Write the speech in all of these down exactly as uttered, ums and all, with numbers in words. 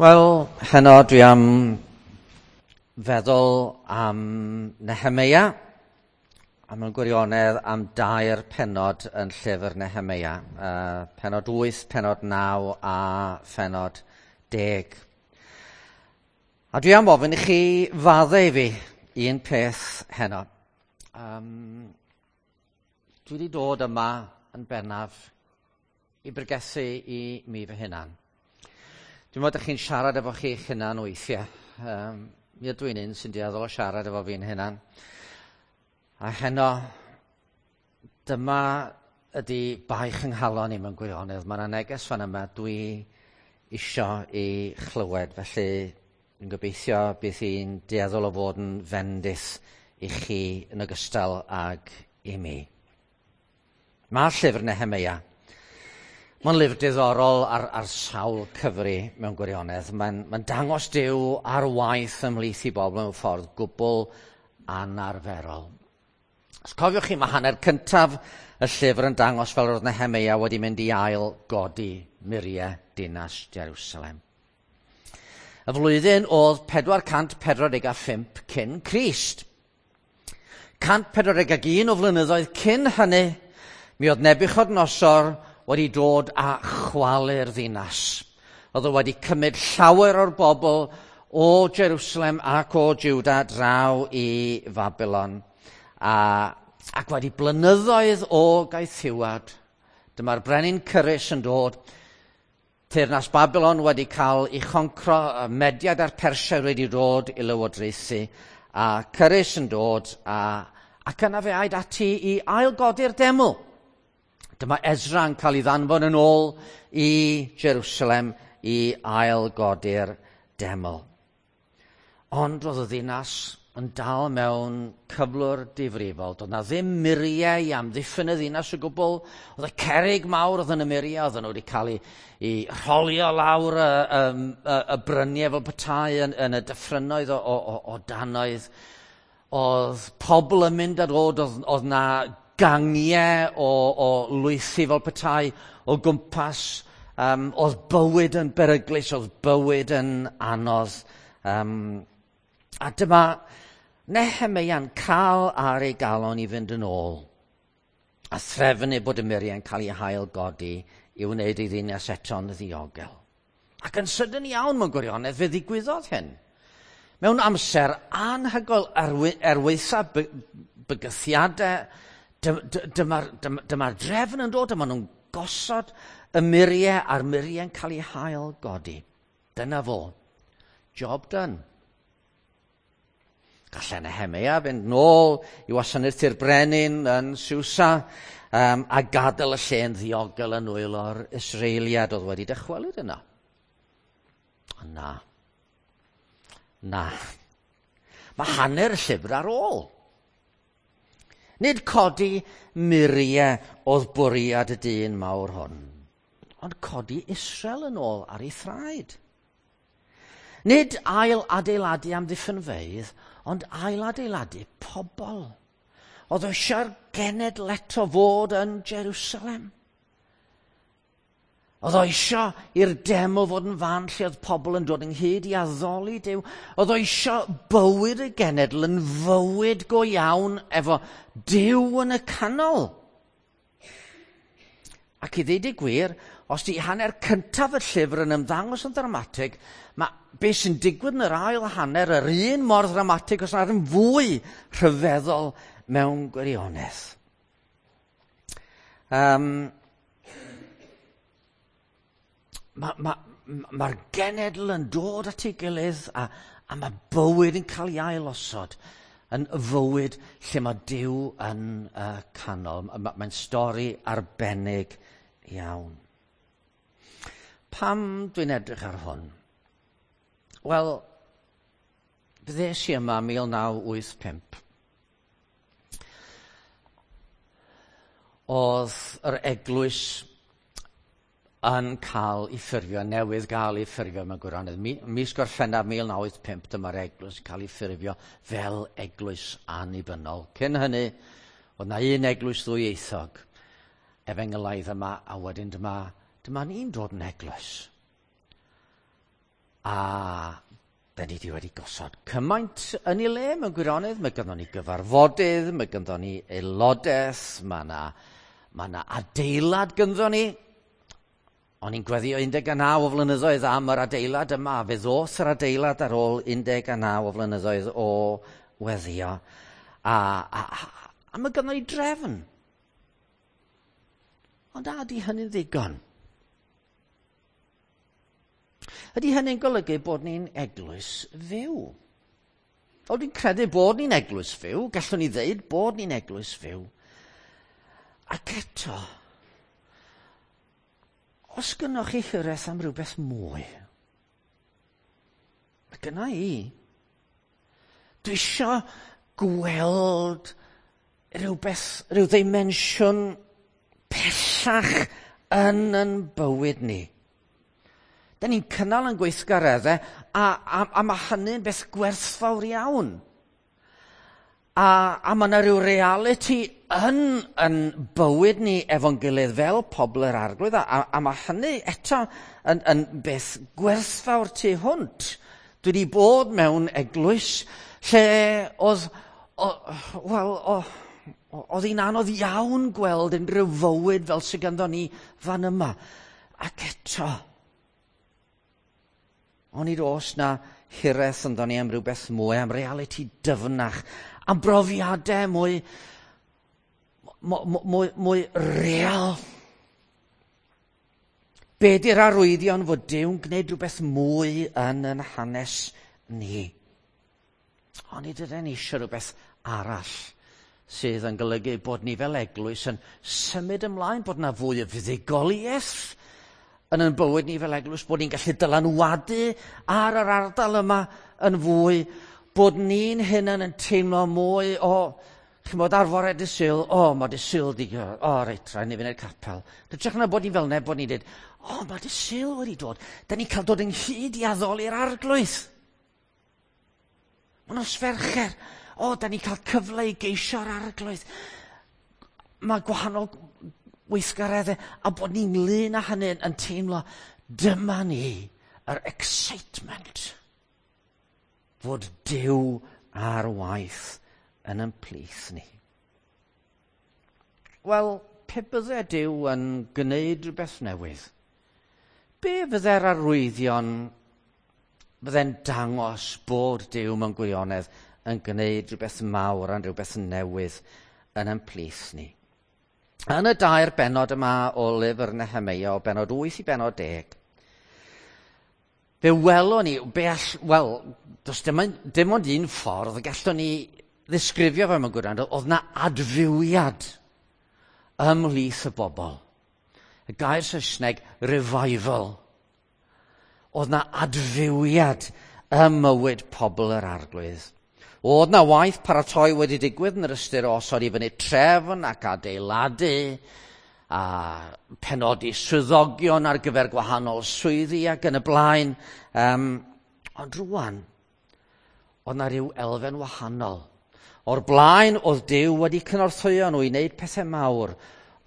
Wel, heno dwi am feddwl am Nehemeia, a mewn gwirionedd am dair pennod yn llyfr Nehemeia. Uh, pennod wyth, pennod naw a phennod deg. A dwi am ofyn i chi faddau i fi un peth heno. Um, dwi wedi dod yma yn bennaf i bregethu i mi fy hunan. Dwi'n meddwl chi'n siarad efo chi'ch hunan weithiau. Um, mi ydw i'n un sy'n dueddol o siarad efo fi'n hunan. A heno, dyma ydy baich yng nghalon i mewn gwirionedd. Mae yna neges fan yma dwi isio i chlywed. Felly, dwi'n gobeithio bydd hi'n dueddol o fod yn fendith i chi yn ogystal ag i mi. Mae llyfr Nehemeia. Mae'n lyfr diddorol ar, ar sawl cyfri mewn gwirionedd. Mae'n, mae'n dangos Duw ar waith ymhlith i bobl mewn ffordd gwbl anarferol. Os cofiwch chi, mae hanner cyntaf y llyfr yn dangos fel roedd Nehemeia wedi mynd i ail godi muriau dinas Jerusalem. Y flwyddyn oedd pedwar cant pedwar deg a phump cyn Crist. cant pedwar deg ag un o flynyddoedd cyn hynny, mi oedd Nebiwchodynosor wedi dod a chwalu'r ddinas. Oedd o wedi cymryd llawer o'r bobl o Jerusalem ac o Juda draw i Babylon. A, ac wedi blynyddoedd o gaethiwad, dyma'r brenin Cyrus yn dod. Teyrnas Babylon wedi cael ei choncro, Mediad a'r Persia wedi dod i lywodraethu, a Cyrus yn dod, a, ac yna fe aed ati i ailgodi'r deml. Dyma Ezra yn cael ei ddanfon yn ôl i Jerusalem i ailgodi'r deml. Ond oedd y ddinas yn dal mewn cyflwr difrifol. Doedd na ddim muriau i amddiffyn y ddinas o gwbl. Oedd y cerrig mawr oedd yn y muriau, oedden nhw wedi cael eu, eu rholio lawr y, y, y, y bryniau fel petai yn, yn y dyffrynnoedd o, o, o, o danoedd. Oedd pobl yn mynd a dod, oedd, oedd na gangiau o, o lwythi fel petai o gwmpas. Um, oedd bywyd yn beryglus, oedd bywyd yn anodd. Um, a dyma Nehemeia'n cael ar ei galon i fynd yn ôl a threfnu bod y muriau'n cael ei hail godi i wneud ei ddinas eto'n ddiogel. Ac yn sydyn iawn mewn gwirionedd fe ddigwyddodd hyn. Mewn amser anhygoel er waetha bygythiadau, dyma'r dyma, dyma drefn yn dod, dyma nhw'n gosod y muriau a'r muriau'n cael ei hail godi. Dyna fo. Job done. Gallai Nehemeia fynd nôl i wasanaethu'r brenin yn Susa um, a gadael y lle'n ddiogel yn nwylo'r Israeliad oedd wedi dychwelyd yna. Ond na. Na. Mae hanner y llyfr ar ôl. Nid codi muriau oedd bwriad y dyn mawr hwn, ond codi Israel yn ôl ar ei thraed. Nid ail adeiladu amddiffynfeydd, ond ail adeiladu pobl. Oedd eisiau'r genedl eto fod yn Jerusalem. Oedd o eisiau i'r deml fod yn fan lle oedd pobl yn dod ynghyd i addoli Duw. Oedd o eisiau bywyd y genedl yn fywyd go iawn efo Duw yn y canol. Ac i ddeud y gwir, os di hanner cyntaf y llyfr yn ymddangos yn ddramatig, mae beth sy'n digwydd yn yr ail hanner yr un mor ddramatig os nad yn fwy rhyfeddol mewn gwirionedd. Um, Mae'r ma, ma genedl yn dod at ei gilydd a, a mae bywyd yn cael ei ailosod yn fywyd lle mae Duw yn uh, canol. Mae'n stori arbennig iawn. Pam dwi'n edrych ar hwn? Wel, ddes i yma mil naw wyth pump. Oedd yr eglwys yn cael ei ffurfio, newydd gael ei ffurfio mewn gwirionedd. Mis Gorffennaf mil naw wyth pump, dyma'r eglwys yn cael ei ffurfio fel eglwys annibynnol. Cyn hynny, oedd na un eglwys ddwyieithog, efengylaidd yma, a wedyn dyma, dyma ni'n dod yn eglwys. A da ni wedi gosod cymaint yn ei le mewn gwirionedd. Mae ganddo ni gyfarfodydd, mae ganddo ni aelodaeth, mae yna ma na adeilad ganddo ni. O'n i'n gweddio un deg naw o flynyddoedd am yr adeilad yma. Fe ddoth yr adeilad ar ôl un deg naw o flynyddoedd o weddio. A, a, a, a mae ganddo ni drefn. Ond a ydy hynny'n ddigon? Ydy hynny'n golygu bod ni'n eglwys fyw? O, dwi'n credu bod ni'n eglwys fyw. Gallwn ni ddeud bod ni'n eglwys fyw. Ac eto, os gynnoch chi hiraeth am rhywbeth mwy, mae gynna i. Dwi isio gweld rhywbeth, rhyw ddimensiwn pellach yn yn bywyd ni. Da ni'n cynnal yn gweithgareddau, a, a, a mae hynny'n beth gwerthfawr iawn. A, a mae yna rhyw reality yn, yn bywyd ni efo'n gilydd fel pobl yr Arglwydd, a, a mae hynny eto yn, yn beth gwerthfawr tu hwnt. Dwi wedi bod mewn eglwys lle oedd, wel, oedd hi'n anodd iawn gweld unrhyw fywyd fel sydd ganddo ni fan yma. Ac eto, onid oes na hiraeth ynddo ni am rhywbeth mwy, am reality dyfnach, am brofiadau mwy, mwy, mwy, mwy real. Be di'r arwyddion fod Duw'n gwneud rhywbeth mwy yn yn hanes ni? Onid ydyn ni eisiau rhywbeth arall sydd yn golygu bod ni fel eglwys yn symud ymlaen, bod yna fwy o fuddugoliaeth yn yn bywyd ni fel eglwys, bod ni'n gallu dylanwadu ar yr ardal yma yn fwy, bod ni'n hunan yn teimlo mwy o, ch'mod, ar fore dydd Sul, o, mae dydd Sul di, o, reit, rhaid ni fynd i'r capel. Hytrach na bod ni'n fel neb, bod ni'n dweud, o, mae dydd Sul wedi dod, da ni'n cael dod ynghyd i addoli'r Arglwydd. Mae nos Fercher, o, da ni'n cael cyfle i geisio'r Arglwydd. Mae gwahanol weithgareddau, a bod ni'n ynglyn â hynny yn teimlo, dyma ni, yr excitement, fod Duw ar waith yn yn plith ni. Wel, pe bydde Duw yn gwneud rhywbeth newydd, be fydde'r arwyddion fydde'n dangos bod Duw mewn gwirionedd yn gwneud rhywbeth mawr a'n rhywbeth newydd yn yn plith ni? Yn y dair bennod yma o lyfr Nehemeia, o bennod wyth i bennod deg, fe welwn ni, be all, wel, does dim, dim ond un ffordd gallwn ni ddisgrifio fe mewn gwirionedd, oedd na adfywiad ymhlith y bobl. Y gair Saesneg, revival. Oedd na adfywiad ym mywyd pobl yr Arglwydd. Oedd na waith paratoi wedi digwydd yn yr ystyr o osod i fyny trefn ac adeiladu a penodi swyddogion ar gyfer gwahanol swyddi ac yn y blaen. Um, ond rwan, oedd na rhyw elfen wahanol. O'r blaen oedd Duw wedi cynorthwyo nhw i wneud pethau mawr,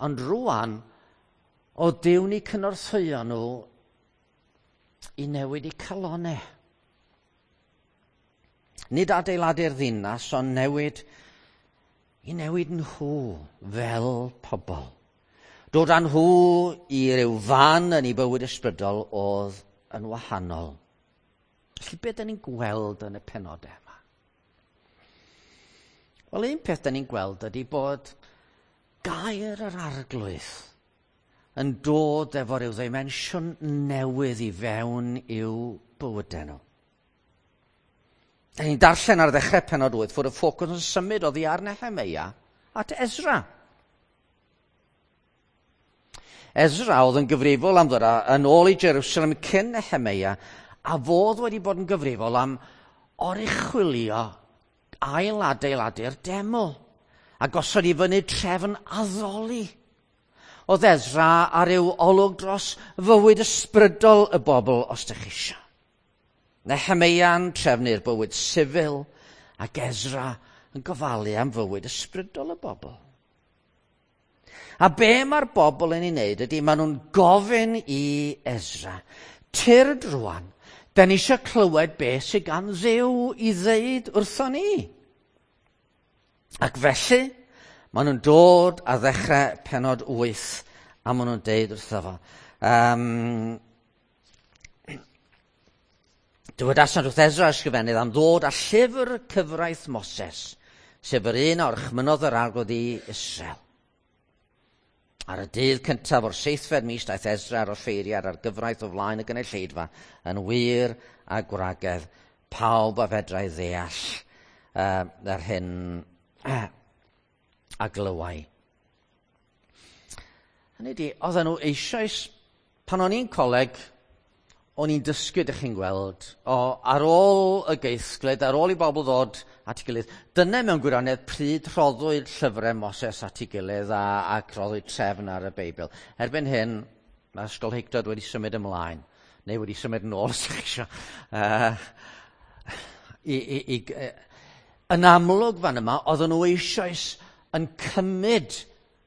ond rwan oedd Duw'n eu cynorthwyo nhw i newid eu calonau. Nid adeiladu'r ddinas, ond newid i newid nhw fel pobl. Dod â nhw i ryw fan yn eu bywyd ysbrydol oedd yn wahanol. Felly beth da ni'n gweld yn y penodau yma? Wel, un peth da ni'n gweld ydy bod gair yr Arglwydd yn dod efo ryw ddimensiwn newydd i fewn i'w bywydau nhw. Da ni'n darllen ar ddechrau pennod wyth fod y ffocws yn symud oddi ar Nehemeia at Ezra. Ezra oedd yn gyfrifol am ddod yn ôl i Jerusalem cyn Nehemeia, a fodd wedi bod yn gyfrifol am oruchwylio ail-adeiladu'r deml a gosod i fyny trefn addoli. Oedd Ezra ar ryw olwg dros fywyd ysbrydol y bobl, os dych chi eisiau. Nehemeia'n trefnu'r bywyd sifil ac Ezra yn gofalu am fywyd ysbrydol y bobl. A be mae'r bobl yn ei wneud ydy maen nhw'n gofyn i Ezra, tyrd rwan, Da ni eisiau clywed beth sydd gan Dduw i ddeud wrthon ni. Ac felly, maen nhw'n dod a ddechrau pennod wyth, a maen nhw'n deud wrtho fo. Um, Dywedasant wrth Esra ysgrifennydd am ddod â llyfr cyfraith Moses, sef yr un a orchmynnodd yr Arglwydd i Israel. Ar y dydd cyntaf o'r seithfed mis daeth Esra a'r offeiriad ar gyfraith o flaen y gynulleidfa yn wir a gwragedd, pawb a fedrai ddeall uh, yr hyn uh, a glywai. Hynny ydi, oedden nhw eisoes, pan o'n i'n coleg, o'n i'n dysgu, dych chi'n gweld, o ar ôl y geithglyd, ar ôl i bobl ddod at ei gilydd, dyna mewn gwirionedd pryd rhoddwyd llyfrau Moses at ei gilydd a, ac rhoddwyd trefn ar y Beibl. Erbyn hyn, mae ysgolheictod wedi symud ymlaen, neu wedi symud yn ôl, os ydych chi eisiau. Uh, i, i, i, yn amlwg fan yma, oedden nhw eisoes yn cymryd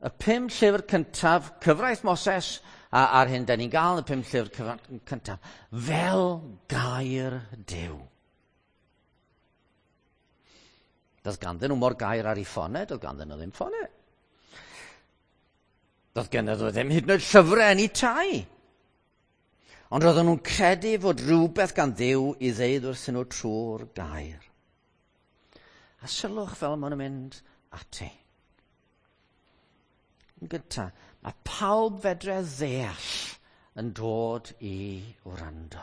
y pum llyfr cyntaf, cyfraith Moses, a a'r hyn da ni'n gael yn y pum llyfr cyntaf, fel gair Duw. Doedd ganddyn nhw mor gair ar eu ffonau, doedd ganddyn nhw ddim ffonau. Doedd ganddyn nhw ddim hyd yn oed llyfrau yn eu tai. Ond roedden nhw'n credu fod rhywbeth gan Dduw i ddeud wrthyn nhw trwy'r gair. A sylwch fel maen nhw'n mynd ati. Yn gyntaf, mae pawb fedre ddeall yn dod i wrando.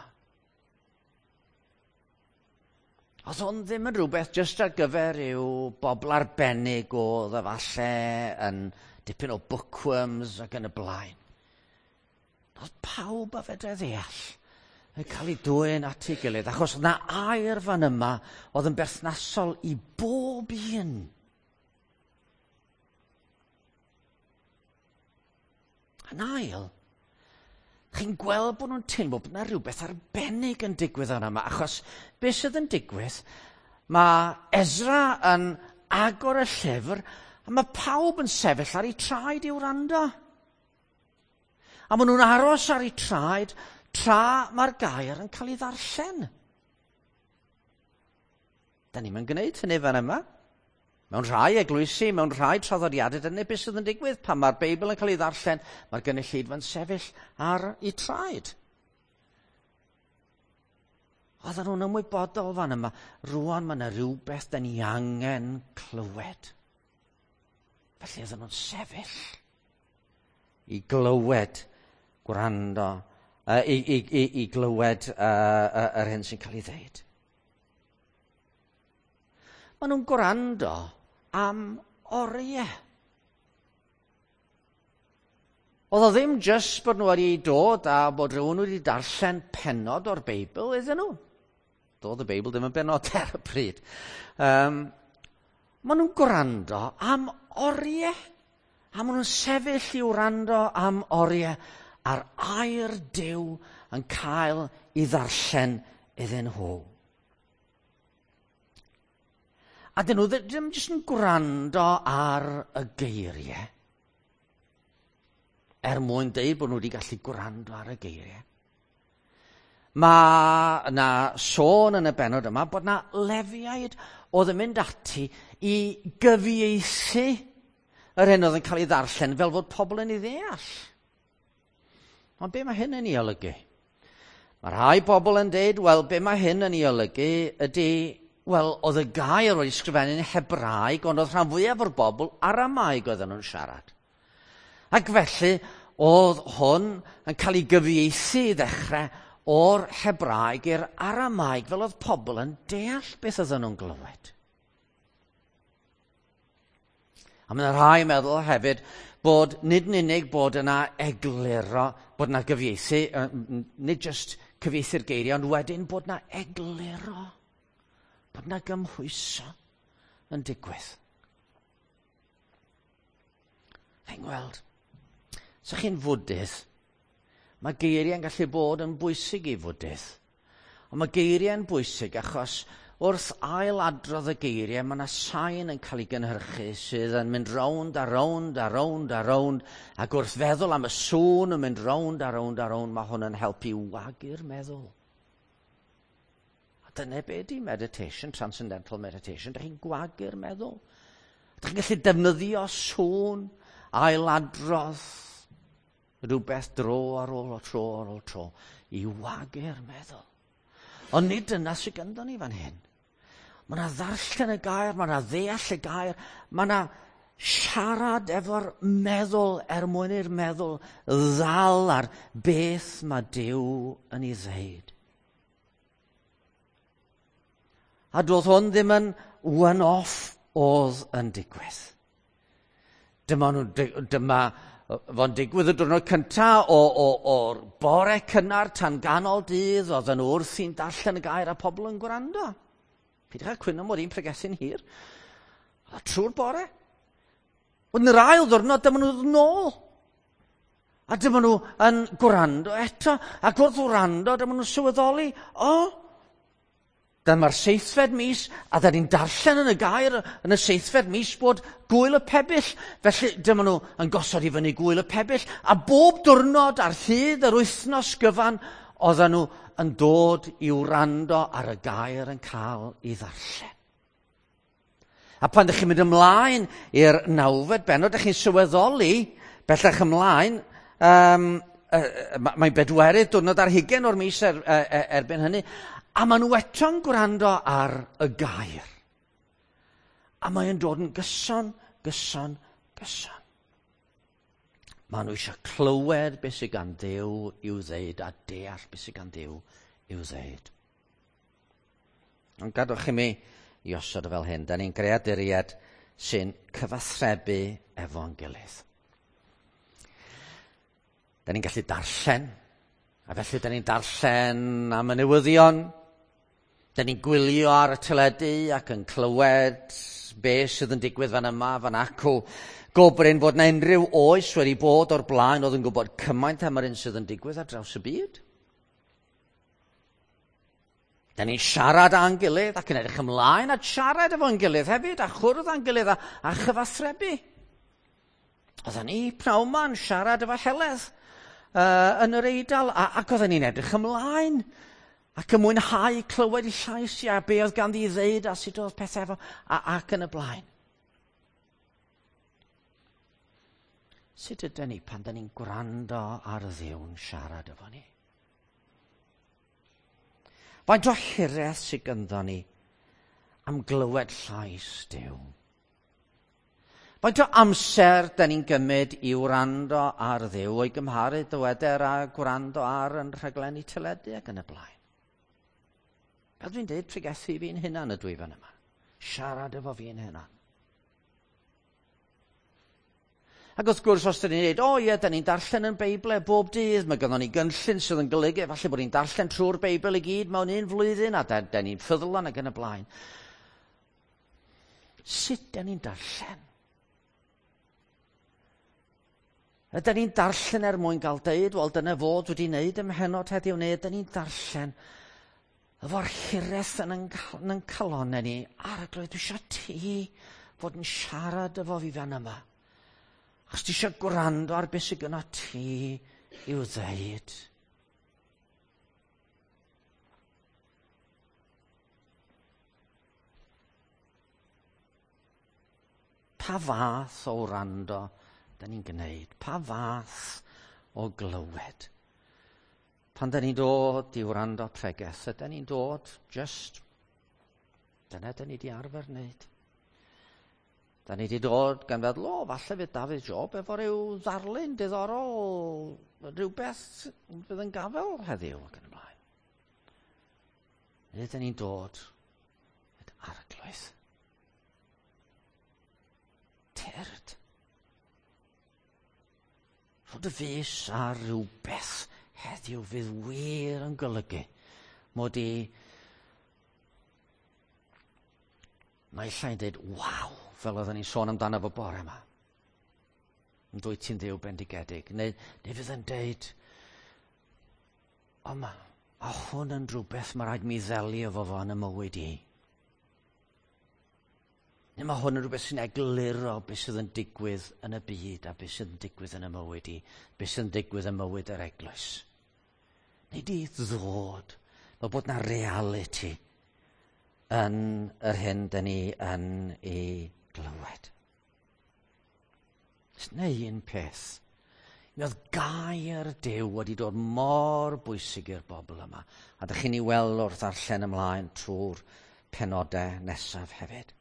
Oedd hwn ddim yn rhywbeth jyst ar gyfer yw bobl arbennig oedd efalle yn dipyn o bookworms ac yn y blaen. Oedd pawb a fedre ddeall yn cael ei dwyn at ei gilydd, achos na air fan yma oedd yn berthnasol i bob un. Yn ail, chi'n gweld bod nhw'n teimlo bod yna rhywbeth arbennig yn digwydd yna yma, achos beth sydd yn digwydd, mae Esra yn agor y llyfr, a mae pawb yn sefyll ar eu traed i wrando. A maen nhw'n aros ar eu traed tra mae'r gair yn cael ei ddarllen. Da ni'm yn gwneud hynny fan yma. Mewn rhai eglwysi, mewn rhai traddodiadau, dyna beth sydd yn digwydd. Pan mae'r Beibl yn cael ei ddarllen, mae'r gynulleidfa'n sefyll ar eu traed. Oedden nhw'n ymwybodol fan yma. Rŵan mae yna rhywbeth da ni angen clywed. Felly oedden nhw'n sefyll i glywed, gwrando, uh, i, i, i, i glywed uh, uh, yr hyn sy'n cael ei ddeud. Maen nhw'n gwrando am oriau. Oedd o ddim jyst bod nhw wedi dod a bod rhywun wedi darllen pennod o'r Beibl iddyn nhw. Doedd y Beibl ddim yn bennod ar y pryd. Um, maen nhw'n gwrando am oriau. A maen nhw'n sefyll i wrando am oriau a'r air Duw yn cael ei ddarllen iddyn nhw. A dyn nhw ddim jyst yn gwrando ar y geiriau, er mwyn deud bod nhw wedi gallu gwrando ar y geiriau. Mae yna sôn yn y bennod yma bod yna Lefiaid oedd yn mynd ati i gyfieithu yr hyn oedd yn cael ei ddarllen fel fod pobl yn ei ddeall. Ond be mae hyn yn ei olygu? Mae rhai bobl yn deud, wel, be mae hyn yn ei olygu ydy, wel, oedd y gair wedi sgrifennu'n Hebraeg, ond oedd rhan fwyaf o'r bobl Aramaeg oedden nhw'n siarad. Ac felly, oedd hwn yn cael ei gyfieithu i ddechrau o'r Hebraeg i'r Aramaeg, fel oedd pobl yn deall beth oedden nhw'n glywed. A mae yna rhai yn meddwl hefyd bod nid yn unig bod yna egluro, bod yna gyfieithu, nid jyst cyfieithu'r geiriau, ond wedyn bod yna egluro, bod yna gymhwyso yn digwydd. Chi'n gweld, os ydych chi'n fwdydd, mae geiriau'n gallu bod yn bwysig i fwdydd. Ond mae geiriau'n bwysig achos wrth ailadrodd y geiriau, mae yna sain yn cael ei gynhyrchu sydd yn mynd rownd a rownd a rownd a rownd, ac wrth feddwl am y sŵn yn mynd rownd a rownd a rownd, mae hwn yn helpu wagu'r meddwl. A dyna be di meditation, transcendental meditation. Dych chi'n gwagu'r meddwl. Dych chi'n gallu defnyddio sŵn, ailadrodd rhywbeth dro ar ôl o tro ar ôl tro i wagu'r meddwl. Ond nid dyna sydd ganddo ni fan hyn. Mae yna ddarllen y gair, mae yna ddeall y gair, mae yna siarad efo'r meddwl er mwyn i'r meddwl ddal ar beth mae Duw yn ei ddeud. A doedd hwn ddim yn one-off oedd yn digwydd. Dyma, nhw, dyma fo'n digwydd y diwrnod cyntaf o, o, o'r bore cynnar tan ganol dydd, oedd yn wrthi'n darllen y gair a pobl yn gwrando. Peidiwch â cwyno mod i'n pregethu'n hir. A trwy'r bore. Wedyn yr ail ddiwrnod, dyma nhw nôl. A dyma nhw yn gwrando eto. Ac wrth wrando, dyma nhw'n sylweddoli, o, dyma'r seithfed mis, a da ni'n darllen yn y gair yn y seithfed mis bod gwyl y pebyll. Felly dyma nhw yn gosod i fyny gwyl y pebyll, a bob diwrnod ar hyd yr wythnos gyfan, oedden nhw yn dod i wrando ar y gair yn cael ei ddarllen. A pan ydych chi'n mynd ymlaen i'r nawfed bennod, ydych chi'n sylweddoli, bellach ymlaen, um, uh, mae'n bedwerydd diwrnod ar hugain o'r mis er, er, erbyn hynny, a maen nhw eto'n gwrando ar y gair. A mae'n dod yn gyson, gyson, gyson. Maen nhw eisiau clywed beth sydd gan Dduw i'w ddeud a deall beth sydd gan Dduw i'w ddeud. Ond gadwch i mi i osod o fel hyn. Da ni'n greaduriaid sy'n cyfathrebu efo'n gilydd. Da ni'n gallu darllen, a felly da ni'n darllen am y newyddion. Da ni'n gwylio ar y teledu ac yn clywed beth sydd yn digwydd fan yma, fan acw. Gobrin bod na unrhyw oes wedi bod o'r blaen oedd yn gwybod cymaint am yr un sydd yn digwydd ar draws y byd. Da ni'n siarad â'n gilydd ac yn edrych ymlaen at siarad efo'n gilydd hefyd a chwrdd â'n gilydd a, a chyfathrebu. Oedden ni pnawn 'ma'n siarad efo Heledd uh, yn yr Eidal a, ac oedden ni'n edrych ymlaen ac yn mwynhau clywed ei llais i a be oedd ganddi i ddeud a sut oedd pethau efo a, ac yn y blaen. Sut ydyn ni pan dyn ni'n gwrando ar Dduw'n siarad efo ni? Faint o hiraeth sydd ganddo ni am glywed llais Duw? Faint o amser dyn ni'n gymryd i wrando ar Dduw o'i gymharu dyweder a gwrando ar yn rhaglenni teledu ac yn y blaen? Fel dwi'n dweud, pregethu fi'n hunan ydw i fan yma. Siarad efo fi'n hunan. Ac wrth gwrs, os dyn ni'n dweud, o ie, dyn ni'n darllen yn Beibl bob dydd, mae gynnon ni gynllun sydd yn golygu, falle bod ni'n darllen trwy'r Beibl i gyd mewn un flwyddyn, a dyn ni'n ffyddlon ac yn y blaen. Sut dyn ni'n darllen? Ydyn ni'n darllen er mwyn gael deud, wel, dyna fod wedi wneud ym mhennod heddiw, neu ydyn ni'n darllen efo'r hiraeth yn yn calonnau ni, Arglwydd, dwi eisiau ti fod yn siarad efo fi fan yma. Achos ti eisiau gwrando ar beth sydd gynno ti i'w ddeud. Pa fath o wrando da ni'n gwneud? Pa fath o glywed? Pan da ni'n dod i wrando pregeth, ydy ni'n dod just, dyna da ni di arfer wneud. Da ni di dod gan feddwl, o, falle fydd Dafydd Job efo rhyw ddarlun diddorol, rhywbeth fydd yn gafel heddiw ac yn ymlaen. Neu da ni'n dod at Arglwydd. Tyrd. Rho dy fys ar rhywbeth heddiw fydd wir yn golygu mod i naill ai'n dweud, waw, fel oedden ni'n sôn amdano fo bore yma. Yn dwyt ti'n Dduw bendigedig. Neu, neu fydd yn deud, o ma, a hwn yn rhywbeth mae rhaid mi ddelio efo fo yn y mywyd i. Neu mae hwn yn rhywbeth sy'n egluro beth sydd yn digwydd yn y byd a beth sydd yn digwydd yn y mywyd i, beth sydd yn digwydd yn mywyd yr eglwys. Neu di ddod, fel bod na reality yn yr hyn dyn ni yn ei glywed. Neu un peth. Mi oedd gair Duw wedi dod mor bwysig i'r bobl yma. A dych chi'n ei weld wrth ddarllen ymlaen trwy'r penodau nesaf hefyd.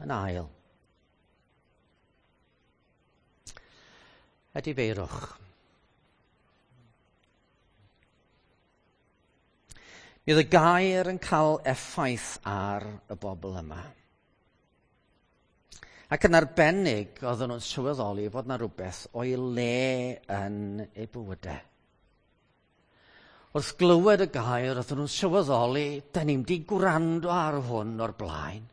Yn ail, edifeirwch. Mi oedd y gair yn cael effaith ar y bobl yma. Ac yn arbennig, oedden nhw'n sylweddoli fod yna rhywbeth o'i le yn eu bywydau. Wrth glywed y gair, oedden nhw'n sylweddoli, da ni'm di gwrando ar hwn o'r blaen.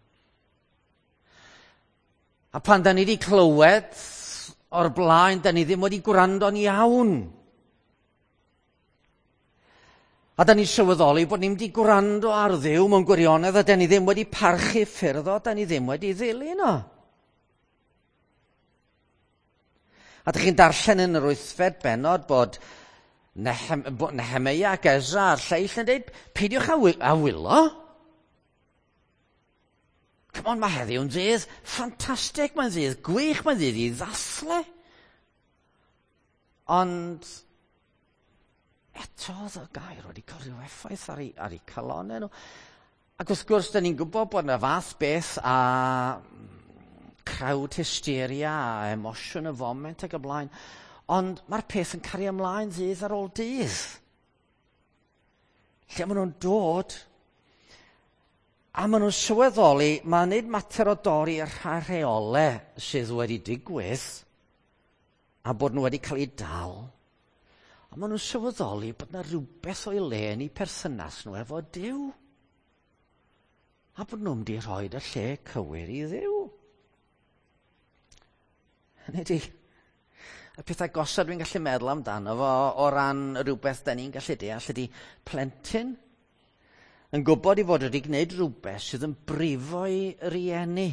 A pan da ni di clywed o'r blaen, da ni ddim wedi gwrando'n iawn. A da ni'n sylweddoli bod ni'n di gwrando ar Dduw mewn gwirionedd, a da ni ddim wedi parchu ffyrdd o, da ni ddim wedi ddilyn o. A dych chi'n darllen yn yr wythfed bennod bod Nehem, Nehemeia ac Ezra a'r lleill yn dweud, peidiwch a, wy, a wylo. Come on, mae heddiw'n ddydd ffantastig, mae'n ddydd gwych, mae'n ddydd i ddathlu. Ond eto oedd y gair wedi cael rhyw effaith ar ei, ar ei calonnau nhw. Ac wrth gwrs, da ni'n gwybod bod yna fath beth a crowd hysteria a emosiwn y foment ac y blaen. Ond mae'r peth yn cario ymlaen ddydd ar ôl dydd. Lle maen nhw'n dod a maen nhw'n sylweddoli, mae'n nid mater o dorri rheolau sydd wedi digwydd a bod nhw wedi cael eu dal. Ond maen nhw'n sylweddoli bod yna rhywbeth o'i le yn eu perthynas nhw efo Duw. A bod nhw'n mynd i rhoi y lle cywir i Dduw. Hynny ydi, y pethau gosod dwi'n gallu meddwl amdano fo o ran rhywbeth da ni'n gallu deall ydy plentyn yn gwybod i fod wedi gwneud rhywbeth sydd yn brifo i rieni.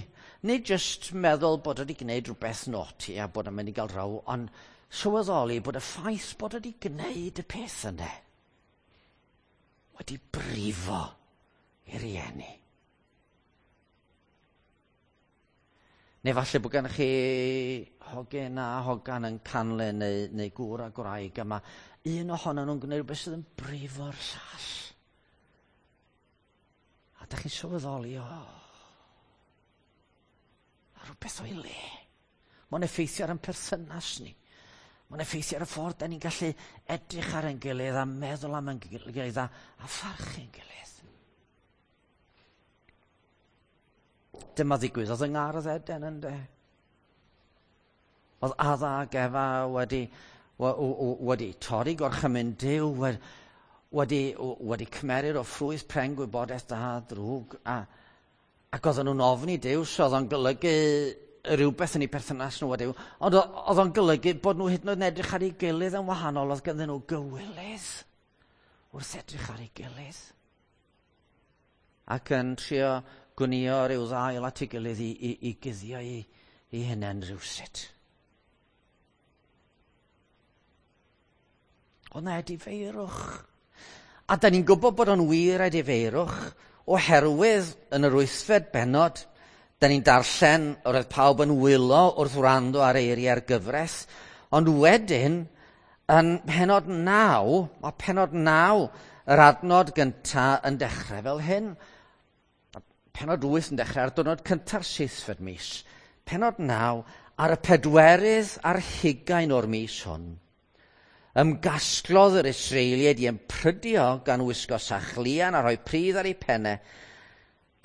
Nid jyst meddwl bod wedi gwneud rhywbeth naughty a bod yn mynd i gael row, ond sylweddoli bod y ffaith bod wedi gwneud y peth yna wedi brifo i rieni. Neu falle bod gennych chi hogyn a hogan yn canlyn neu, neu gŵr a gwraig, a mae un ohonyn nhw'n gwneud rhywbeth sydd yn brifo'r llall. A da chi'n sylweddoli, o, a rhywbeth o'i le. Mae'n effeithio ar ein perthynas ni. Mae'n effeithio ar y ffordd da ni'n gallu edrych ar ein gilydd a meddwl am ein gilydd a, a pharchu ein gilydd. Dyma ddigwyddodd yng Ngardd Eden, ynde? Oedd Adda ac Efa wedi, wedi torri gorchymyn Duw, wedi, wedi cymerir o ffrwyth pren gwybodaeth da drwg, a, ac oedden nhw'n ofni Duw, so oedd o'n golygu rhywbeth yn eu perthynas nhw a Duw, ond oedd o'n golygu bod nhw hyd yn oed yn edrych ar ei gilydd yn wahanol, oedd ganddyn nhw gywilydd wrth edrych ar ei gilydd. Ac yn trio gwnïo rhyw ddail at ei gilydd i, i, i guddio i, i hunain rhywsut. Oedd na edifeirwch. A da ni'n gwybod bod o'n wir edifeirwch oherwydd yn yr wythfed bennod, da ni'n darllen roedd pawb yn wylo wrth wrando ar eiriau'r gyfres, ond wedyn, yn pennod naw, mae pennod naw, yr adnod gyntaf yn dechrau fel hyn. Pennod wyth yn dechrau ar diwrnod cynta'r seithfed mis. Pennod naw, ar y pedwerydd ar hugain o'r mis hwn, ymgasglodd yr Israeliaid i ymprydio gan wisgo sachlian a rhoi pridd ar eu pennau,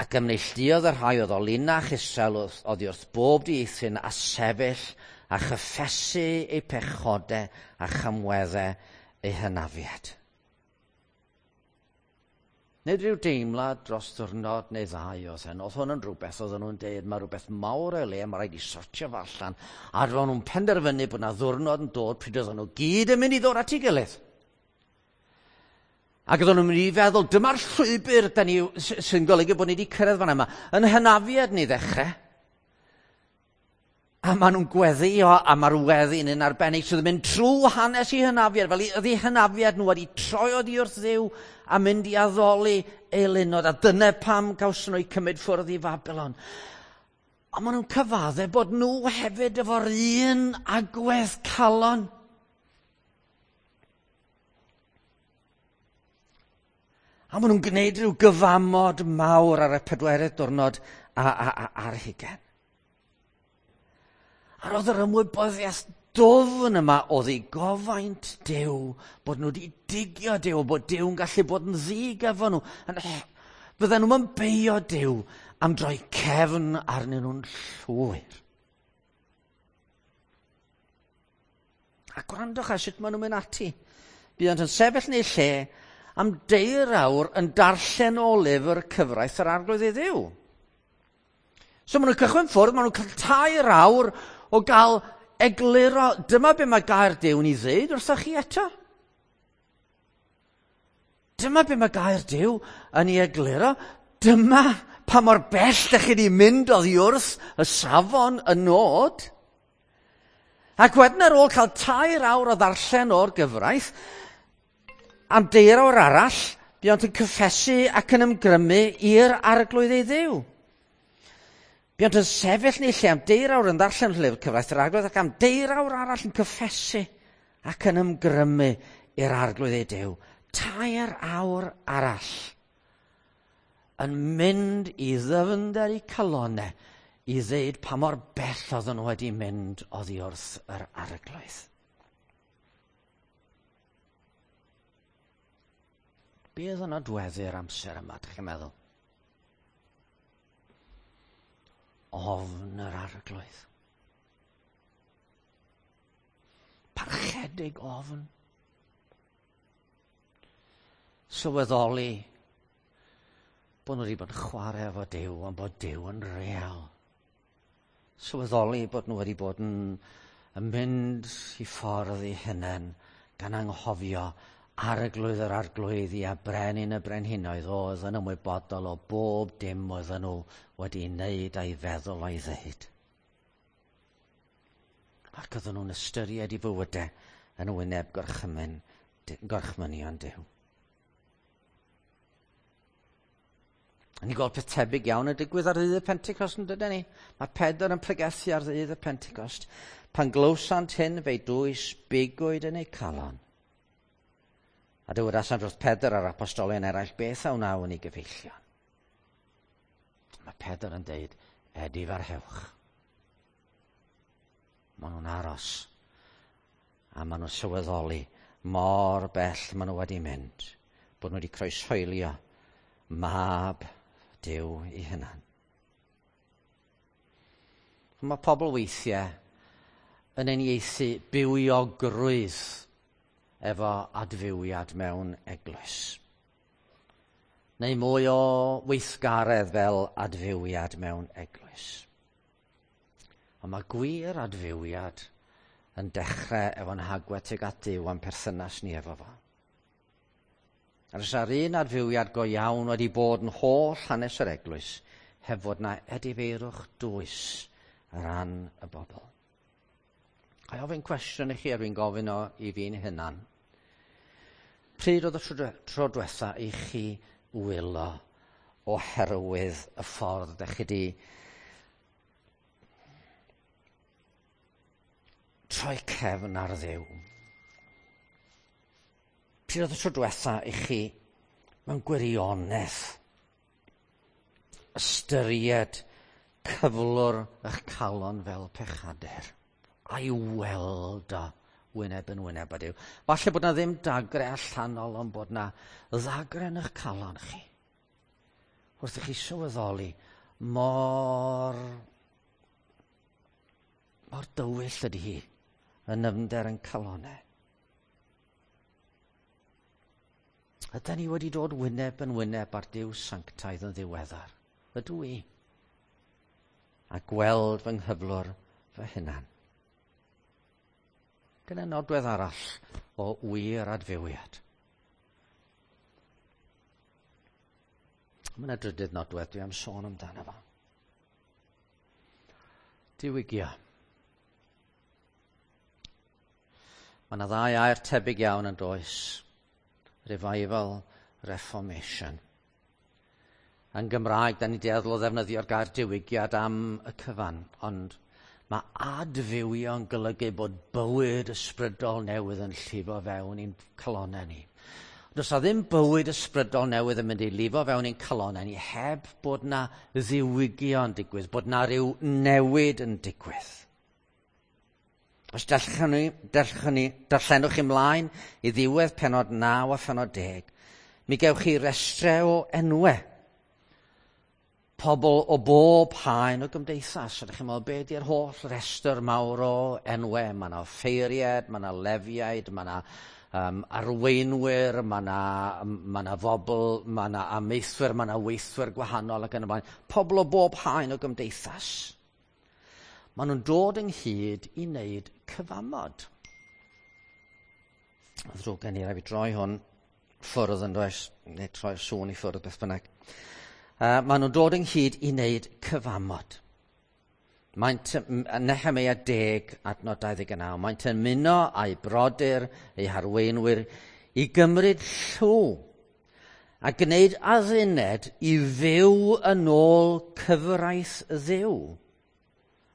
ac ymneilltuodd y rhai oedd o linach Israel oddi wrth bob dieithryn a sefyll a chyffesu eu pechodau a chamweddau eu hynafiad. Nid rhyw deimlad dros ddiwrnod neu ddau oedd hyn. Oedd hwn yn rhywbeth, oedden nhw'n deud, mae rhywbeth mawr o'i le, mae rhaid i sortio fo allan. A roedden nhw'n penderfynu bod yna ddiwrnod yn dod pryd oedden nhw gyd yn mynd i ddod at ei gilydd. Ac oedden nhw'n mynd i feddwl, dyma'r llwybr da ni, sy'n golygu bod ni wedi cyrraedd fan yma. Yn hynafiad ni ddechrau. A maen nhw'n gweddio, a mae'r weddi'n un arbennig sydd yn mynd trwy hanes i hynafiad, fel oedd eu hynafiad nhw wedi troi oddi wrth Dduw a mynd i addoli eilunod, a dyna pam gawson nhw eu cymryd ffwrdd i Fabilon. A maen nhw'n cyfadde bod nhw hefyd efo'r un agwedd calon. A maen nhw'n gwneud rhyw gyfamod mawr ar y pedwerydd diwrnod a, a, a, ar hugain. A roedd yr ymwybyddiaeth dwfn yma o ddigofaint Duw, bod nhw wedi digio Duw, bod Duw'n gallu bod yn ddig efo nhw. Fydden nhw'n beio Duw am droi cefn arnyn nhw'n llwyr. A gwrandwch ar sut maen nhw'n mynd ati. Buont yn sefyll yn eu lle am deir awr yn darllen o lyfr cyfraith yr Arglwydd ei Dduw. So maen nhw'n cychwyn ffwrdd, maen nhw'n cael tair awr o gael egluro, dyma be mae gair Duw yn ei ddeud wrthoch chi eto. Dyma be mae gair Duw yn ei egluro. Dyma pa mor bell dych chi wedi mynd oddi wrth y safon, y nod. Ac wedyn ar ôl cael tair awr o ddarllen o'r gyfraith, am deir awr arall, buont yn cyffesu ac yn ymgrymu i'r Arglwydd ei Dduw. Buont yn sefyll yn eu lle am deir awr yn ddarllen llyfr cyfraith yr Arglwydd ac am deir awr arall yn cyffesu ac yn ymgrymu i'r Arglwydd ei Duw. Tair awr arall yn mynd i ddyfnder eu calonau i ddeud pa mor bell oedden nhw wedi mynd oddi wrth yr Arglwydd. Be oedd yn nodweddu'r amser yma, dych chi'n meddwl? Ofn yr Arglwydd. Parchedig ofn. Sylweddoli bod nhw wedi bod yn chwarae efo Duw, ond bod Duw yn real. Sylweddoli bod nhw wedi bod yn, yn mynd i ffordd eu hunain gan anghofio Arglwydd yr Arglwyddi a Brenin y Brenhinoedd oedd yn ymwybodol o bob dim oedden nhw wedi wneud a'i feddwl a'i ddeud. Ac oedden nhw'n ystyried i fywydau yn wyneb gorchymyn, gorchmynion Duw. A ni'n gweld peth tebyg iawn yn digwydd ar ddydd y Pentecost, yn dydyn ni? Mae Pedr yn pregethu ar ddydd y Pentecost. Pan glywsant hyn, fe'i dwys bigwyd yn eu calon. A dywedasant wrth Pedr a'r apostolion eraill, beth a wnawn ni gyfeillion? Mae Pedr yn deud, edifarhewch. Maen nhw'n aros, a maen nhw'n sylweddoli mor bell maen nhw wedi mynd, bod nhw wedi croeshoelio mab Duw ei hunan. Mae pobl weithiau yn uniaethu bywiogrwydd efo adfywiad mewn eglwys. Neu mwy o weithgaredd fel adfywiad mewn eglwys. Ond mae gwir adfywiad yn dechrau efo'n hagwedd tuag at Duw a'n perthynas ni efo fo. A os ar un adfywiad go iawn wedi bod yn holl hanes yr eglwys, heb fod na edifeirwch dwys ar ran y bobl. A i ofyn cwestiwn i chi, a dwi'n gofyn o i fi'n hunan. Pryd oedd y tro, tro diwetha i chi wylo oherwydd y ffordd ydych chi di troi cefn ar Dduw? Pryd oedd y tro diwetha i chi mewn gwirionedd ystyried cyflwr eich calon fel pechadur a'i weld o wyneb yn wyneb â Duw? Falle bod na ddim dagre allanol, ond bod na ddagre yn eich calon chi. Wrth i chi sylweddoli mor, mor dywyll ydy hi yn nyfnder yn calonau. Ydy ni wedi dod wyneb yn wyneb ar Duw sanctaidd yn ddiweddar? Ydw i? A gweld fy nghyflwr fy hunan. Dyna nodwedd arall o wir adfywiad. Mae yna drydydd nodwedd dwi am sôn amdano fo. Diwygio. Mae yna ddau air tebyg iawn yn does. Revival, reformation. Yn Gymraeg, da ni dueddol o ddefnyddio'r gair diwygiad am y cyfan, ond mae adfywio yn golygu bod bywyd ysbrydol newydd yn llifo fewn i'n calonau ni. Does 'na ddim bywyd ysbrydol newydd yn mynd i lifo fewn i'n calonau ni heb bod na ddiwygio yn digwydd, bod na ryw newid yn digwydd. Os darllenwch ni, darllenwch ni, darllenwch ymlaen i ddiwedd pennod naw a phennod deg, mi gewch chi restrau o enwau. Pobl o bob haen o gymdeithas. Ydych chi'n meddwl, be di'r holl restr mawr o enwau? Mae yna offeiriaid, mae yna lefiaid, mae yna um, arweinwyr, mae yna, mae yna fobl, mae yna amaethwyr, mae yna weithwyr gwahanol ac yn y blaen. Pobl o bob haen o gymdeithas. Maen nhw'n dod ynghyd i wneud cyfamod. Ddrwg gen i, rhaid fi droi hwn ffwrdd yn does, neu troi'r sŵn i ffwrdd beth bynnag. Uh, maen nhw'n dod ynghyd i wneud cyfamod. Maent, Nehemeia deg, adnod dau ddeg naw, maent yn ymuno â'u brodyr, eu harweinwyr, i gymryd llw a gwneud adduned i fyw yn ôl cyfraith Dduw.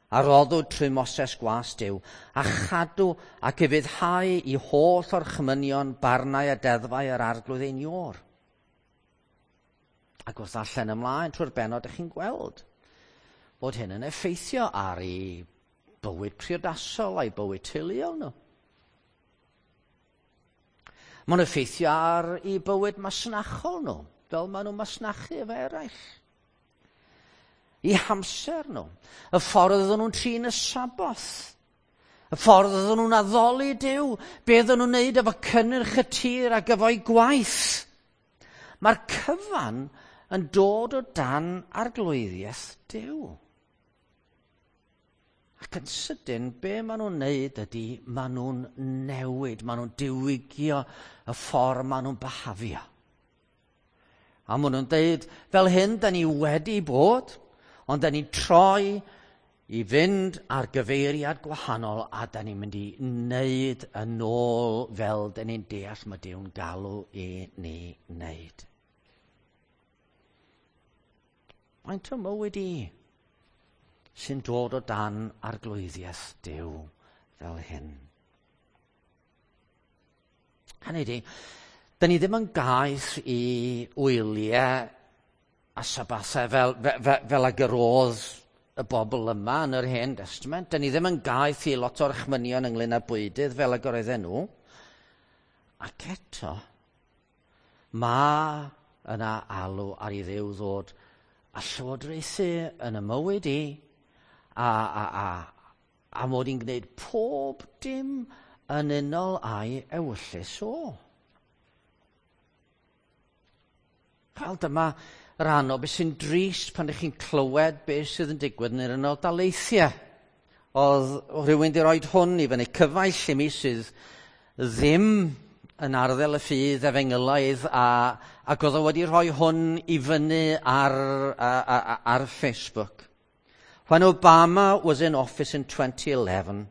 A roddwyd trwy Moses gwas Duw, a chadw ac ufuddhau i holl orchmynion, barnau a deddfau yr Arglwydd ein Iôr. Ac wrth ddarllen ymlaen trwy'r bennod, ydych chi'n gweld bod hyn yn effeithio ar ei bywyd priodasol a'i bywyd teuluol nhw. Mae'n effeithio ar ei bywyd masnachol nhw, fel maen nhw'n masnachu efo eraill. Eu hamser nhw, y ffordd oedden nhw'n trin y Saboth, y ffordd oedden nhw'n addoli Duw, be oedden nhw'n neud efo cynnyrch y tir ac efo'i gwaith. Mae'r cyfan yn dod o dan arglwyddiaeth Duw. Ac yn sydyn, be maen nhw'n neud ydy, maen nhw'n newid, maen nhw'n diwygio y ffordd maen nhw'n byhafio. A maen nhw'n deud, fel hyn, da ni wedi bod, ond da ni'n troi i fynd ar gyfeiriad gwahanol a da ni'n mynd i wneud yn ôl fel da ni'n deall mae Duw'n galw i ni wneud. Faint o mywyd i sy'n dod o dan arglwyddiaeth Duw fel hyn? Hynny ydi, da ni ddim yn gaeth i wyliau a sabathau fel, fel, fel ag yr oedd y bobl yma yn yr Hen Testament. Da ni ddim yn gaeth i lot o'r orchmynion ynglyn â bwydydd fel ag yr oedden nhw. Ac eto, mae yna alw ar i Dduw ddod a llywodraethu yn y mywyd i, a, a, a, a mod i'n gwneud pob dim yn unol â'i ewyllys o. Wel, dyma rhan o beth sy'n drist pan ydych chi'n clywed beth sydd yn digwydd yn yr Unol Daleithiau. Oedd rhywun wedi rhoi hwn i fyny, cyfaill i mi sydd ddim yn arddel y ffydd efengylaidd, a, ac oedd o wedi rhoi hwn i fyny ar, ar, ar Facebook. When Obama was in office in twenty eleven,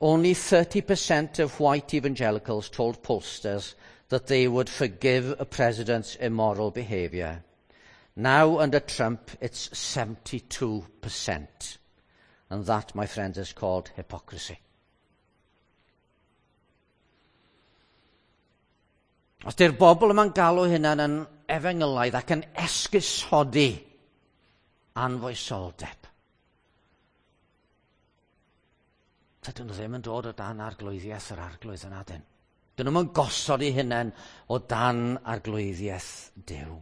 only thirty percent of white evangelicals told pollsters that they would forgive a president's immoral behavior. Now, under Trump, it's seventy-two percent. And that, my friends, is called hypocrisy. Os di'r bobl yma'n galw hynna'n yn efengylaidd ac yn esgusodi anfoesoldeb, dydyn nhw ddim yn dod o dan arglwyddiaeth yr Arglwydd yn adyn. Dyn nhw'n gosod eu hunain o dan arglwyddiaeth Duw.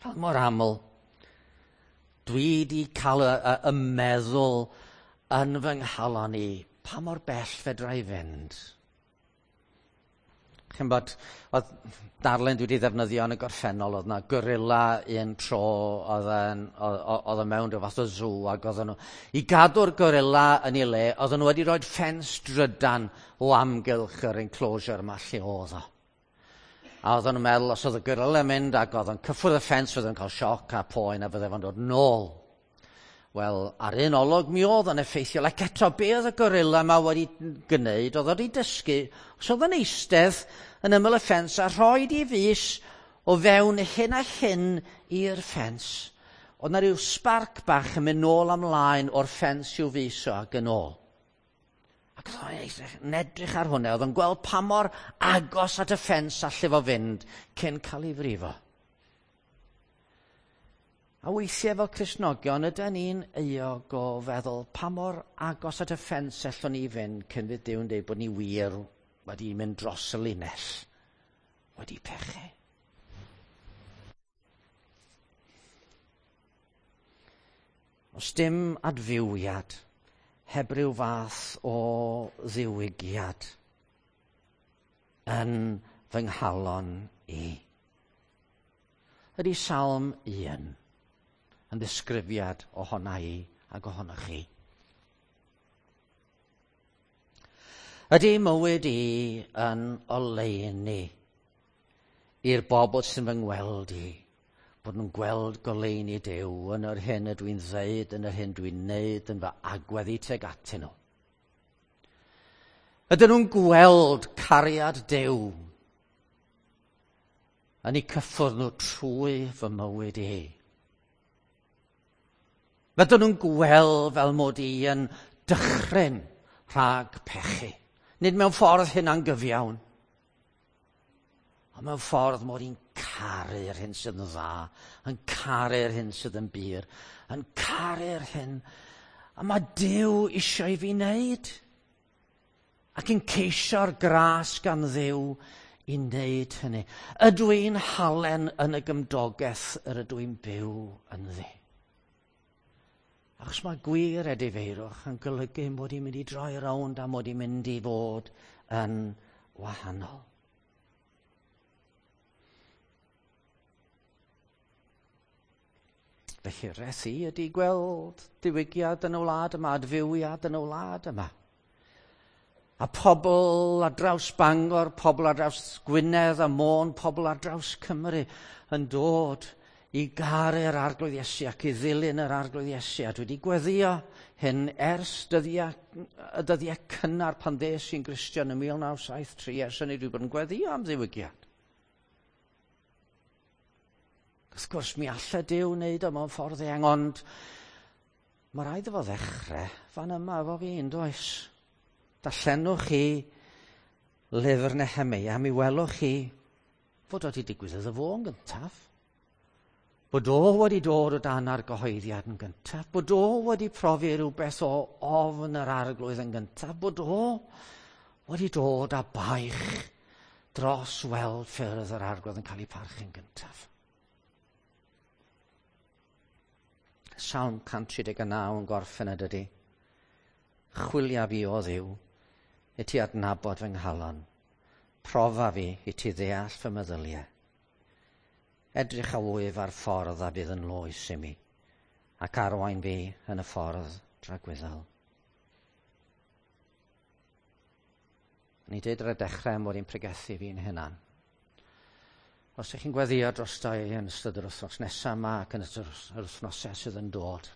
Fel mor aml, dwi wedi cael y, y, y meddwl yn fy nghalon i, pa mor bell fedra i fynd? Chi'n bod, oedd darlun dwi wedi ddefnyddio yn y gorffennol, oedd yna gorilla un tro, oedd yn, oedd yn mewn rhyw fath o zoo, ac oedden nhw, i gadw'r gorilla yn ei le, oedden nhw wedi rhoi ffens drydan o amgylch yr enclosure yma lle oedd o. A oedden nhw'n meddwl, os oedd y gorilla yn mynd ac oedd yn cyffwrdd y ffens, oedd yn cael sioc a poen a fydde fo'n dod nôl. Wel, ar un olwg mi oedd yn effeithiol, ac eto be oedd y gorilla yma wedi gwneud, oedd wedi dysgu, os oedd yn eistedd yn ymyl y ffens a rhoi i fys o fewn hyn a hyn i'r ffens, oedd na rhyw sbarc bach yn mynd nôl ymlaen o'r ffens i'w fys o ac yn ôl. Ac oedd o'n edrych ar hwnna, oedd o'n gweld pa mor agos at y ffens alle fo fynd cyn cael ei frifo. A weithiau fel Cristnogion, ydy ni'n euog o feddwl pa mor agos at y ffens allwn ni fynd cyn fydd Duw'n dweud bod ni wir wedi mynd dros y linell, wedi pechu. Os dim adfywiad, heb ryw fath o ddiwygiad yn fy nghalon i. Ydy Salm un yn ddisgrifiad ohona i ac ohonoch chi. Ydy mywyd i yn oleuni i'r bobl sy'n fy ngweld i, bod nhw'n gweld goleuni Duw yn yr hyn ydw i'n ddeud, yn yr hyn dwi'n neud, yn fy agwedd i tuag atyn nhw. Ydyn nhw'n gweld cariad Duw yn eu cyffwrdd nhw trwy fy mywyd i. Ydyn nhw'n gweld fel mod i yn dychryn rhag pechu. Nid mewn ffordd hunangyfiawn, ond mewn ffordd mod i'n caru'r hyn sydd yn dda, yn caru'r hyn sydd yn bur, yn caru'r hyn. A mae Duw eisiau i fi wneud. Ac yn ceisio'r gras gan Dduw i wneud hynny. Ydw i'n halen yn y gymdogaeth yr ydw i'n byw ynddi? Achos mae gwir edifeirwch yn golygu mod i'n mynd i droi rownd a mod i'n mynd i fod yn wahanol. Felly res i ydy gweld diwygiad yn y wlad yma, adfywiad yn y wlad yma. A pobl ar draws Bangor, pobl ar draws Gwynedd a Môn, pobl ar draws Cymru yn dod i garu'r Arglwydd Iesu ac i ddilyn yr Arglwydd Iesu. A dwi wedi gweddio hyn ers dyddiau, y dyddiau cynnar pan ddes i'n Gristion yn mil naw saith tri, ers hynny dwi wedi bod yn gweddio am ddiwygiad. Wrth gwrs, mi alle Duw wneud o mewn ffordd eang, ond mae rhaid iddo fo ddechrau fan yma efo fi, yn does? Darllenwch chi lyfr Nehemeia, mi welwch chi fod wedi digwydd iddo fo yn gyntaf. Bod o wedi dod o dan argyhoeddiad yn gyntaf, bod o wedi profi rhywbeth o ofn yr Arglwydd yn gyntaf, bod o wedi dod â baich dros weld ffyrdd yr Arglwydd yn cael ei parchu'n gyntaf. Salm cant tri deg naw yn gorffen y dydy. Chwilia fi o Dduw, i ti adnabod fy nghalon. Profa fi i ti ddeall fy meddyliau. Edrych a wyf ar ffordd a fydd yn loes i mi, ac arwain fi yn y ffordd dragwyddol. Ni dweud ar y dechrau mod i'n pregethu fi'n hunan. Os ydych chi'n gweddio drosto i yn ystod yr wythnos nesaf yma ac yn ystod yr wythnosau sydd yn dod,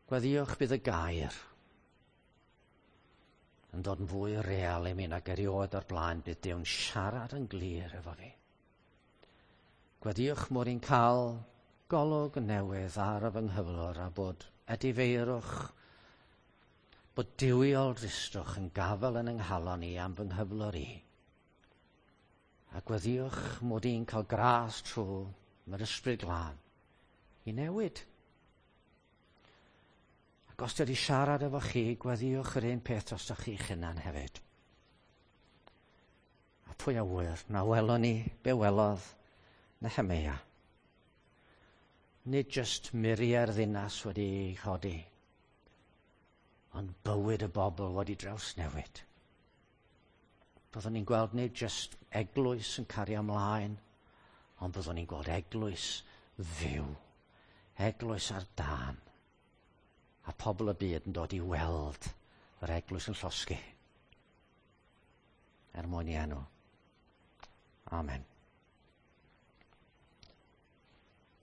gweddiwch bydd y gair yn dod yn fwy real i mi nag erioed o'r blaen, bydd Duw'n siarad yn glir efo fi. Gweddiwch mod i'n cael golwg newydd ar y fy nghyflwr a bod edifeirwch, bod duwiol dristwch yn gafael yn yng nghalon i am fy nghyflwr i. A gweddiwch mod i'n cael gras trwy mae'r Ysbryd Glân i newid. Ac os wedi siarad efo chi, gweddiwch yr un peth drostoch chi'ch hunan hefyd. A pwy a ŵyr, na welon ni be welodd Nehemeia. Nid jyst muriau'r ddinas wedi chodi, ond bywyd y bobl wedi drawsnewid. Byddwn ni'n gweld nid jyst eglwys yn cario ymlaen, ond byddwn ni'n gweld eglwys fyw, eglwys ar dân, a pobl y byd yn dod i weld yr eglwys yn llosgi. Er mwyn i enw. Amen.